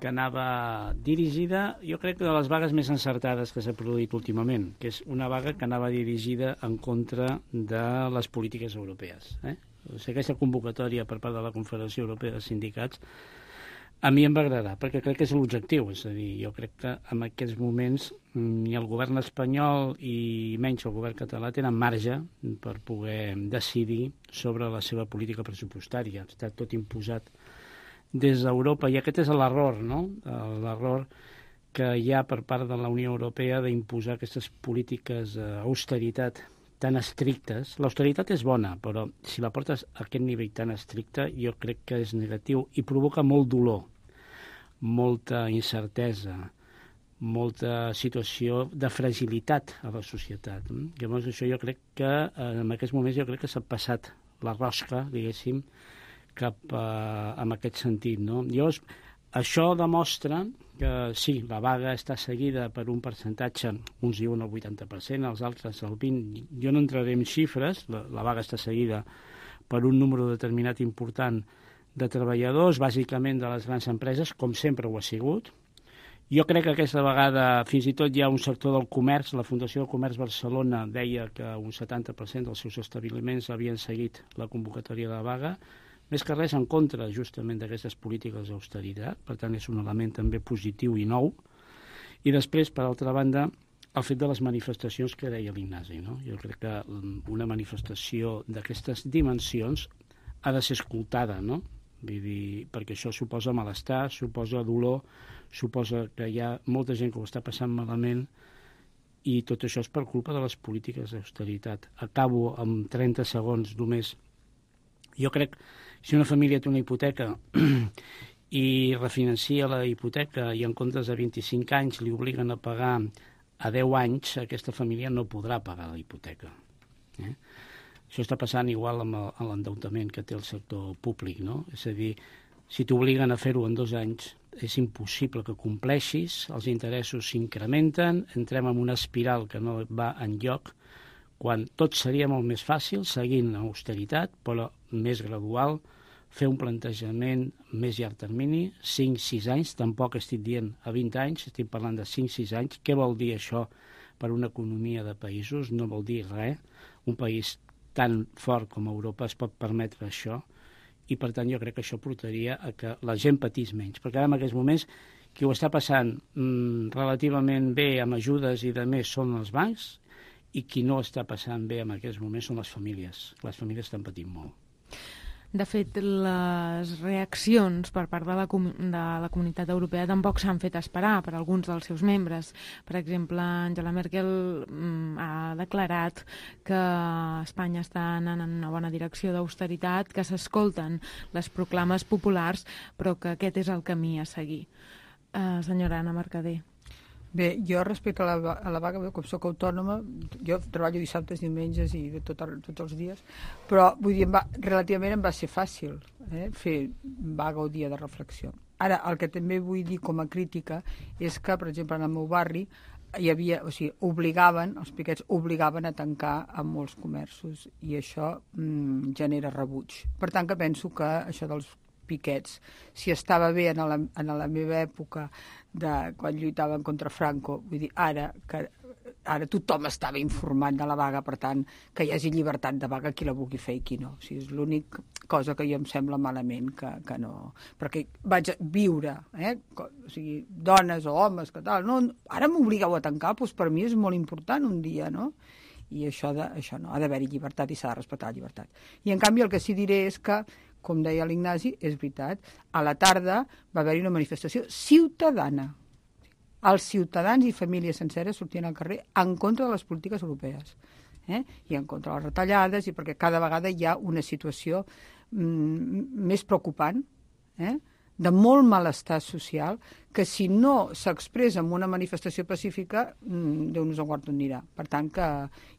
que anava dirigida, jo crec que de les vagues més encertades que s'ha produït últimament, que és una vaga que anava dirigida en contra de les polítiques europees. O sigui, aquesta convocatòria per part de la Confederació Europea de Sindicats a mi em va agradar, perquè crec que és l'objectiu. És a dir, jo crec que en aquests moments ni el govern espanyol i menys el govern català tenen marge per poder decidir sobre la seva política pressupostària. Està tot imposat des d'Europa, i aquest és l'error, no? L'error que hi ha per part de la Unió Europea d'imposar aquestes polítiques d'austeritat tan estrictes. L'austeritat és bona, però si la portes a aquest nivell tan estricte, jo crec que és negatiu i provoca molt dolor, molta incertesa, molta situació de fragilitat a la societat. Llavors, això jo crec que, en aquests moments, jo crec que s'ha passat la rosca, diguéssim, cap en aquest sentit, no? Llavors, això demostra que sí, la vaga està seguida per un percentatge, uns diuen el 80%, els altres el 20%, jo no entraré en xifres, la vaga està seguida per un número determinat important de treballadors, bàsicament de les grans empreses, com sempre ho ha sigut. Jo crec que aquesta vegada fins i tot hi ha un sector del comerç, la Fundació del Comerç Barcelona deia que un 70% dels seus establiments havien seguit la convocatòria de la vaga, més que res en contra justament d'aquestes polítiques d'austeritat, per tant és un element també positiu i nou. I després, per altra banda, el fet de les manifestacions que deia l'Ignasi, no? Jo crec que una manifestació d'aquestes dimensions ha de ser escoltada, no? Vull dir, perquè això suposa malestar, suposa dolor, suposa que hi ha molta gent que ho està passant malament, i tot això és per culpa de les polítiques d'austeritat. Acabo amb 30 segons només. Jo crec que si una família té una hipoteca i refinancia la hipoteca i en comptes de 25 anys li obliguen a pagar a 10 anys, aquesta família no podrà pagar la hipoteca. Això està passant igual amb l'endeutament que té el sector públic, no? És a dir, si t'obliguen a fer-ho en 2 anys, és impossible que compleixis, els interessos s'incrementen, entrem en una espiral que no va enlloc, quan tot seria molt més fàcil, seguint l'austeritat, però més gradual, fer un plantejament més llarg termini, 5-6 anys, tampoc estic dient a 20 anys, estic parlant de 5-6 anys. Què vol dir això per una economia de països? No vol dir res. Un país tan fort com Europa es pot permetre això, i per tant jo crec que això portaria a que la gent patís menys, perquè ara en aquests moments qui ho està passant relativament bé amb ajudes i de més són els bancs, i qui no està passant bé en aquests moments són les famílies. Les famílies estan patint molt. De fet, les reaccions per part de la Comunitat Europea tampoc s'han fet esperar per alguns dels seus membres. Per exemple, Angela Merkel ha declarat que Espanya està anant en una bona direcció d'austeritat, que s'escolten les proclames populars, però que aquest és el camí a seguir. Senyora Anna Mercader. Bé, jo respecte a la vaga, com soc autònoma, jo treballo dissabtes, diumenges i tots els dies, però vull dir, relativament em va ser fàcil fer vaga o dia de reflexió. Ara, el que també vull dir com a crítica és que, per exemple, en el meu barri hi havia, o sigui, els piquets obligaven a tancar a molts comerços i això genera rebuig. Per tant, que penso que això dels piquets, si estava bé en la meva època quan lluitaven contra Franco, vull dir, ara tothom estava informat de la vaga, per tant, que hi hagi llibertat de vaga qui la vulgui fer i qui no. O sigui, és l'única cosa que jo em sembla malament que no... Perquè vaig viure, o sigui, dones o homes, que tal, no, ara m'obligueu a tancar, doncs per mi és molt important un dia, no? I això no, ha d'haver-hi llibertat i s'ha de respectar la llibertat. I en canvi el que sí diré és que, com deia l'Ignasi, és veritat, a la tarda va haver-hi una manifestació ciutadana. Els ciutadans i famílies senceres sortien al carrer en contra de les polítiques europees, i en contra de les retallades, i perquè cada vegada hi ha una situació més preocupant, de molt malestar social, que si no s'expressa en una manifestació pacífica, Déu nos en guard on anirà. Per tant, que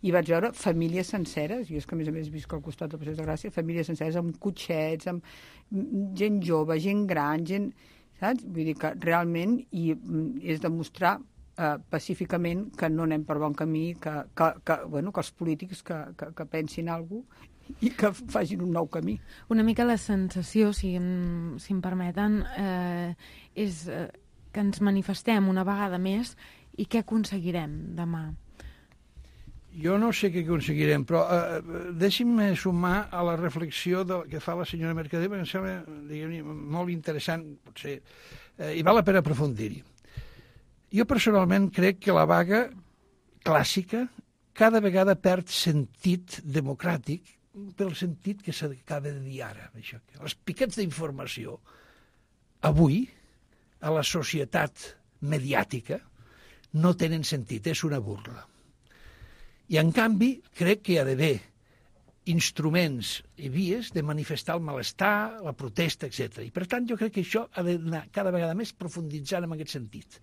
hi vaig veure famílies senceres, i és que a més visc al costat del Passeig de Gràcia, famílies senceres amb cotxets, amb gent jove, gent gran, saps? Vull dir que realment és demostrar pacíficament que no anem per bon camí, que els polítics que pensin alguna cosa i que facin un nou camí. Una mica la sensació, si em permeten, és que ens manifestem una vegada més i què aconseguirem demà? Jo no sé què aconseguirem, però deixi'm sumar a la reflexió que fa la senyora Mercader, perquè em sembla molt interessant, potser, i val la pena aprofundir-hi. Jo personalment crec que la vaga clàssica cada vegada perd sentit democràtic pel sentit que s'acaba de dir ara. Això. Els piquets d'informació avui a la societat mediàtica no tenen sentit, és una burla. I en canvi crec que hi ha d'haver instruments i vies de manifestar el malestar, la protesta, etc. I per tant jo crec que això ha d'anar cada vegada més profunditzant en aquest sentit.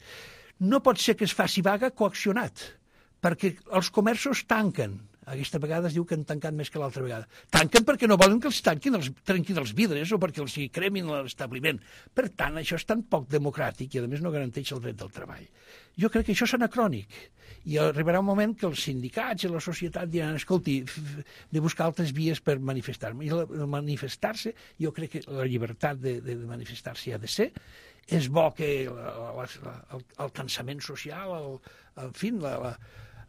No pot ser que es faci vaga coaccionat, perquè els comerços tanquen. Aquesta vegada es diu que han tancat més que l'altra vegada. Tanquen perquè no volen que els trenquin els vidres o perquè els cremin l'establiment. Per tant, això és tan poc democràtic i, a més, no garanteix el dret del treball. Jo crec que això és anacrònic. I arribarà un moment que els sindicats i la societat diran, escolti, de buscar altres vies per manifestar-me. I el manifestar-se, jo crec que la llibertat de manifestar-se ha de ser. És bo que el cansament social, en fi,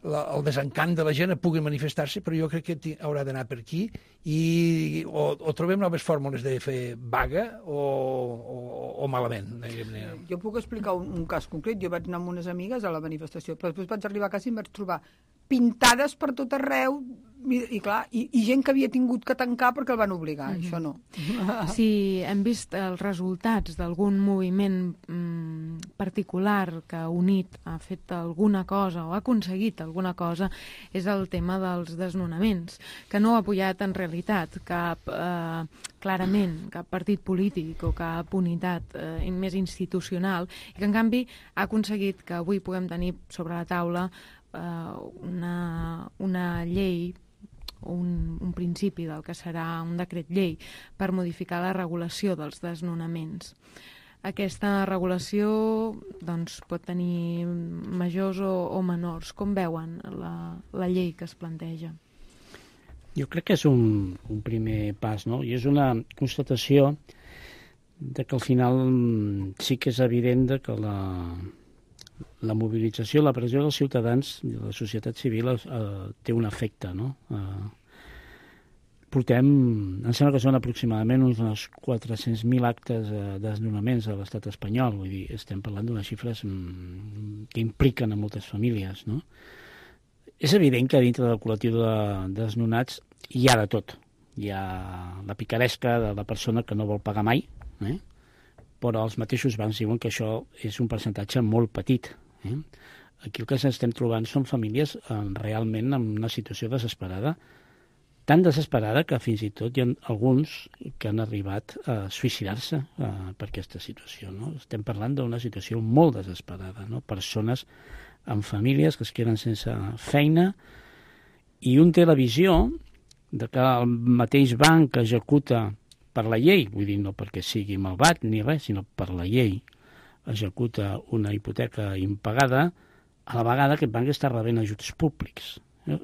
el desencant de la gent pugui manifestar-se, però jo crec que haurà d'anar per aquí i o trobem noves fórmules de fer vaga o malament. Jo puc explicar un cas concret. Jo vaig anar amb unes amigues a la manifestació, però després vaig arribar a casa i em vaig trobar pintades per tot arreu i clar, i gent que havia tingut que tancar perquè el van obligar. Això no. Si hem vist els resultats d'algun moviment particular que ha unit, ha fet alguna cosa o ha aconseguit alguna cosa, és el tema dels desnonaments, que no ha apoyat en realitat clarament cap partit polític o cap unitat més institucional, i que en canvi ha aconseguit que avui puguem tenir sobre la taula una llei, un principi del que serà un decret llei per modificar la regulació dels desnonaments. aquesta regulació doncs, pot tenir majors o menors. Com veuen la llei que es planteja? Jo crec que és un primer pas, no? I és una constatació de que al final sí que és evident de que la mobilització, la pressió dels ciutadans i de la societat civil té un efecte, no? Em sembla que són aproximadament uns 400.000 actes de desnonaments a l'estat espanyol, vull dir, estem parlant d'unes xifres que impliquen a moltes famílies, no? És evident que dintre del col·lectiu de desnonats hi ha de tot. Hi ha la picaresca de la persona que no vol pagar mai, però els mateixos bancs diuen que això és un percentatge molt petit. Aquí el que ens estem trobant són famílies realment en una situació desesperada, tan desesperada que fins i tot hi ha alguns que han arribat a suïcidar-se per aquesta situació. No? Estem parlant d'una situació molt desesperada, no? Persones amb famílies que es queden sense feina i un té la visió de que el mateix banc que executa per la llei, vull dir, no perquè sigui malvat ni res, sinó per la llei, executa una hipoteca impagada, a la vegada aquest banc està rebent ajuts públics.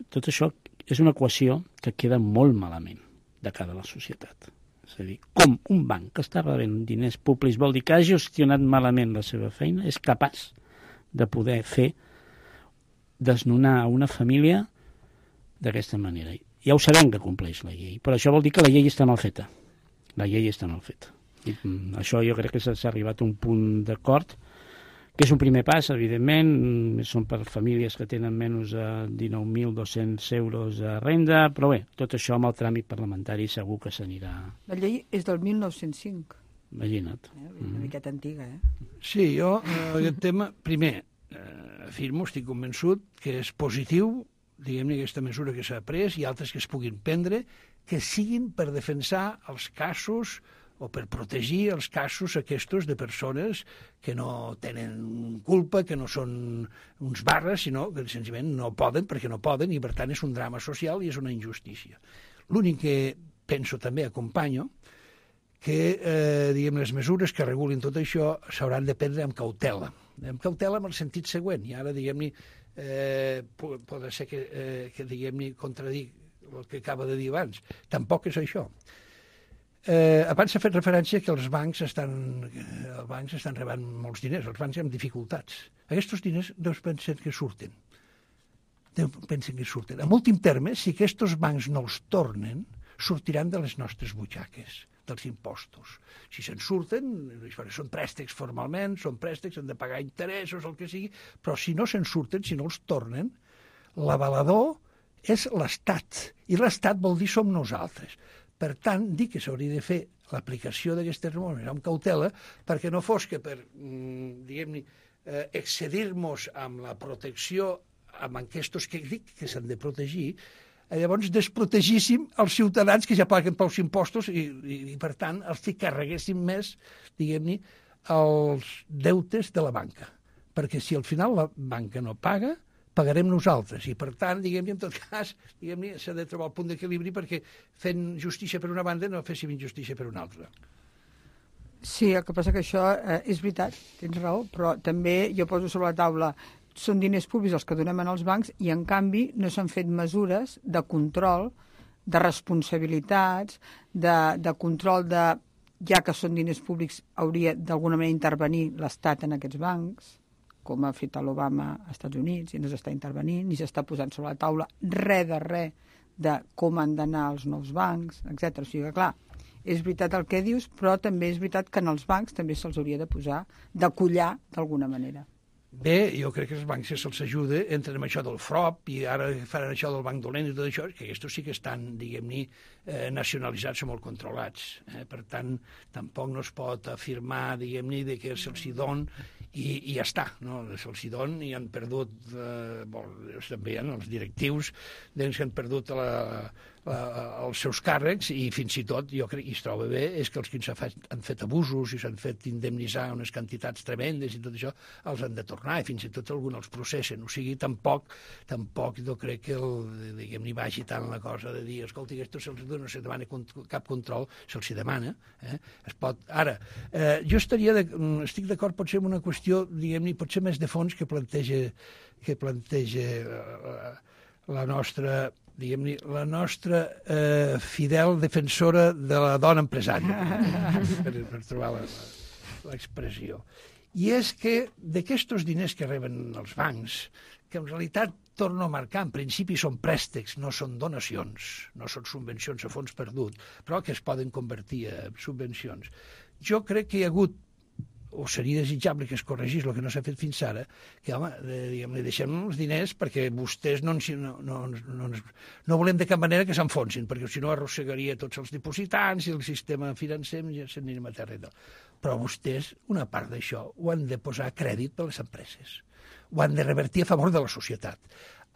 Tot això és una equació que queda molt malament de cara a la societat. És a dir, com un banc que està rebent diners públics vol dir que ha gestionat malament la seva feina, és capaç de poder fer desnonar a una família d'aquesta manera. Ja ho sabem que compleix la llei, però això vol dir que la llei està mal feta. La llei està mal feta. I això jo crec que s'ha arribat a un punt d'acord, que és un primer pas, evidentment, són per famílies que tenen menys de 19.200 euros de renda, però bé, tot això amb el tràmit parlamentari segur que s'anirà... La llei és del 1905. Imagina't. Una miqueta antiga, Sí, jo, aquest tema, primer, afirmo, estic convençut que és positiu, diguem-ne, aquesta mesura que s'ha pres i altres que es puguin prendre, que siguin per defensar els casos o per protegir els casos aquests de persones que no tenen culpa, que no són uns barres, sinó que senzillament no poden perquè no poden i per tant és un drama social i és una injustícia. L'únic que penso també, acompanyo, que diguem, les mesures que regulin tot això s'hauran de prendre amb cautela. Amb cautela en el sentit següent, i ara diguem-ne pot ser que diguem-ne contradic el que acaba de dir abans. Tampoc és això. Abans s'ha fet referència que els bancs estan rebant molts diners, els bancs amb dificultats. Aquests diners no pensen que surten. En últim terme, si aquests bancs no els tornen, sortiran de les nostres butxaques, dels impostos. Si se'n surten, són préstecs formalment, són préstecs, han de pagar interessos, el que sigui, però si no se'n surten, si no els tornen, l'avalador és l'Estat, i l'Estat vol dir som nosaltres. Per tant, dic que s'hauria de fer l'aplicació d'aquestes normes amb cautela perquè no fos que per, diguem-ne, excedir-nos amb la protecció amb aquests que dic que s'han de protegir, llavors desprotegíssim els ciutadans que ja paguen pels impostos i per tant, els que carreguessin més, diguem-ne, els deutes de la banca. Perquè si al final la banca no paga, pagarem nosaltres, i per tant, diguem-ne, en tot cas, diguem-ne, s'ha de trobar el punt d'equilibri perquè fent justícia per una banda no féssim injustícia per una altra. Sí, el que passa que això és veritat, tens raó, però també jo poso sobre la taula, són diners públics els que donem als bancs i en canvi no s'han fet mesures de control, de responsabilitats, de control de, ja que són diners públics, hauria d'alguna manera intervenir l'Estat en aquests bancs, com ha fet l'Obama als Estats Units, i no s'està intervenint, ni s'està posant sobre la taula res de com han d'anar els nous bancs, etc. O sigui que, clar, és veritat el que dius, però també és veritat que en els bancs també se'ls hauria de posar, de collar d'alguna manera. Bé, jo crec que els bancs se'ls ajuda, entren amb això del FROP i ara faran això del banc dolent i tot això, que aquests sí que estan, diguem-ne, nacionalitzats o molt controlats. Per tant, tampoc no es pot afirmar, diguem-ne, que se'ls don i ja està, no? Se'ls don i han perdut, també hi ha els directius que han perdut els seus càrrecs, i fins i tot, jo crec, i es troba bé, és que els que han fet abusos i s'han fet indemnitzar unes quantitats tremendes i tot això, els han de tornar, i fins i tot alguns els processen. O sigui, tampoc jo crec que diguem-ne vagi tant la cosa de dir, escolta, esto no se demana cap control, se'ls demana. Es pot... Ara, jo estic d'acord potser amb una qüestió, diguem-ne, potser més de fons que planteja la nostra, diguem-ne, la nostra fidel defensora de la dona empresària, per trobar l'expressió. I és que d'aquests diners que reben els bancs, que en realitat, torno a marcar, en principi són préstecs, no són donacions, no són subvencions a fons perdut, però que es poden convertir en subvencions. Jo crec que hi ha hagut, o seria desitjable que es corregís el que no s'ha fet fins ara, que, home, diguem-ne, deixem els diners perquè vostès no volem de cap manera que s'enfonsin, perquè si no arrossegaria tots els dipositants i el sistema financer ja s'aniria a terra. Però vostès, una part d'això, ho han de posar a crèdit per les empreses. Ho han de revertir a favor de la societat,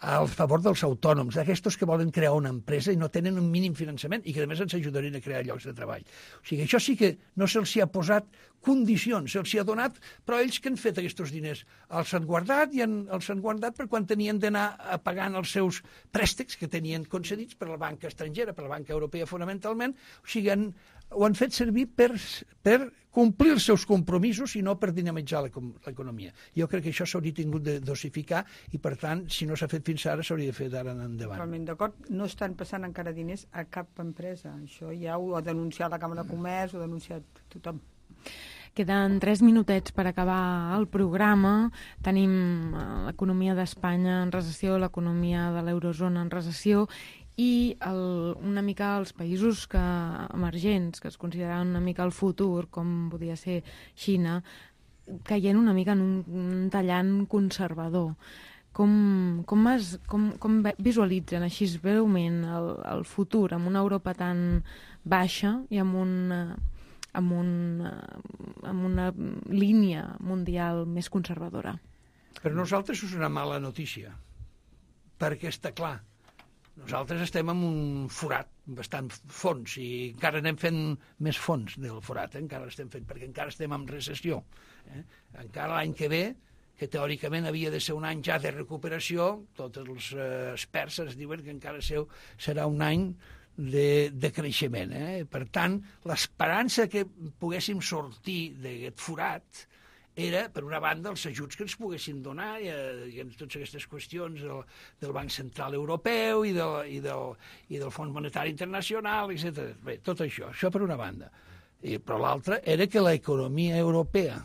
a favor dels autònoms, d'aquestos que volen crear una empresa i no tenen un mínim finançament i que a més ens ajudarien a crear llocs de treball. O sigui, això sí que no se'ls ha posat condicions, se'ls ha donat, però ells que han fet aquests diners els han guardat i els han guardat per quan tenien d'anar pagant els seus préstecs que tenien concedits per la banca estrangera, per la banca europea fonamentalment, o sigui, ho han fet servir per complir els seus compromisos i no per dinamitzar l'economia. Jo crec que això s'hauria tingut de dosificar i, per tant, si no s'ha fet fins ara, s'hauria de fer d'ara en endavant. Totalment d'acord. No estan passant encara diners a cap empresa. Això ja ho ha denunciat la Càmera de Comerç, ho ha denunciat tothom. Queden 3 minutets per acabar el programa. Tenim l'economia d'Espanya en recessió, l'economia de l'eurozona en recessió i una mica els països emergents, que es consideraven una mica el futur, com podia ser Xina, caient una mica en un tallant conservador. Com visualitzen així breument el futur amb una Europa tan baixa i amb una línia mundial més conservadora? Per nosaltres és una mala notícia, perquè està clar, nosaltres estem en un forat bastant fons i encara anem fent més fons del forat, encara l'estem fent, perquè encara estem en recessió. Encara l'any que ve, que teòricament havia de ser un any ja de recuperació, tots els experts ens diuen que encara serà un any de creixement. Per tant, l'esperança que poguéssim sortir d'aquest forat era, per una banda, els ajuts que ens poguessin donar, totes aquestes qüestions del Banc Central Europeu i del Fons Monetari Internacional, etc. Bé, tot això per una banda. Però l'altra era que l'economia europea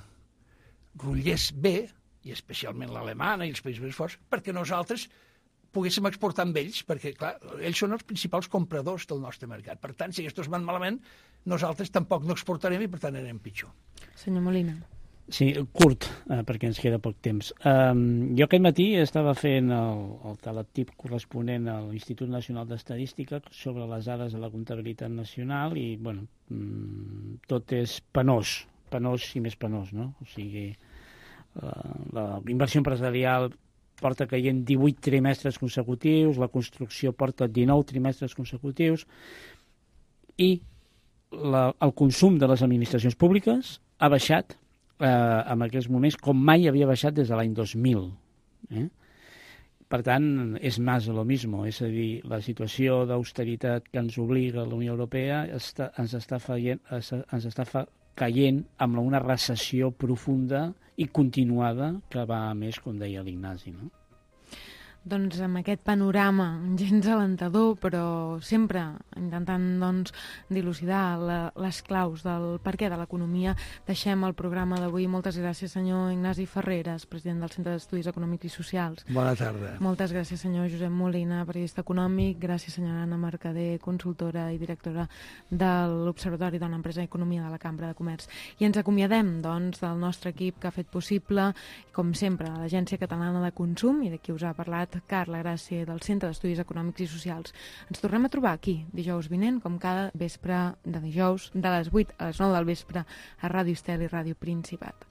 rotllés bé, i especialment l'alemana i els països més forts, perquè nosaltres poguéssim exportar amb ells, perquè, clar, ells són els principals compradors del nostre mercat. Per tant, si aquests van malament, nosaltres tampoc no exportarem i, per tant, anem pitjor. Senyor Molina. Sí, curt, perquè ens queda poc temps. Jo aquest matí estava fent el teletip corresponent a l'Institut Nacional d'Estadística sobre les dades de la comptabilitat nacional i, bueno, tot és penós i més penós, no? O sigui, la inversió empresarial porta caient 18 trimestres consecutius, la construcció porta 19 trimestres consecutius i el consum de les administracions públiques ha baixat en aquests moments com mai havia baixat des de l'any 2000. Per tant, és més de lo mismo, és a dir, la situació d'austeritat que ens obliga la Unió Europea ens està caient amb una recessió profunda i continuada que va a més, com deia l'Ignasi, no? Doncs amb aquest panorama gens alentador, però sempre intentant dilucidar les claus del perquè de l'economia, deixem el programa d'avui. Moltes gràcies, senyor Ignasi Ferreres, president del Centre d'Estudis Econòmics i Socials. Bona tarda. Moltes gràcies, senyor Josep Molina, periodista econòmic. Gràcies, senyora Anna Mercader, consultora i directora de l'Observatori de l'Empresa i Economia de la Cambra de Comerç. I ens acomiadem, doncs, del nostre equip que ha fet possible, com sempre, l'Agència Catalana de Consum, i de qui us ha parlat Carla Gràcia, del Centre d'Estudis Econòmics i Socials. Ens tornem a trobar aquí, dijous vinent, com cada vespre de dijous, de les 8 a les 9 del vespre, a Ràdio Estel i Ràdio Principat.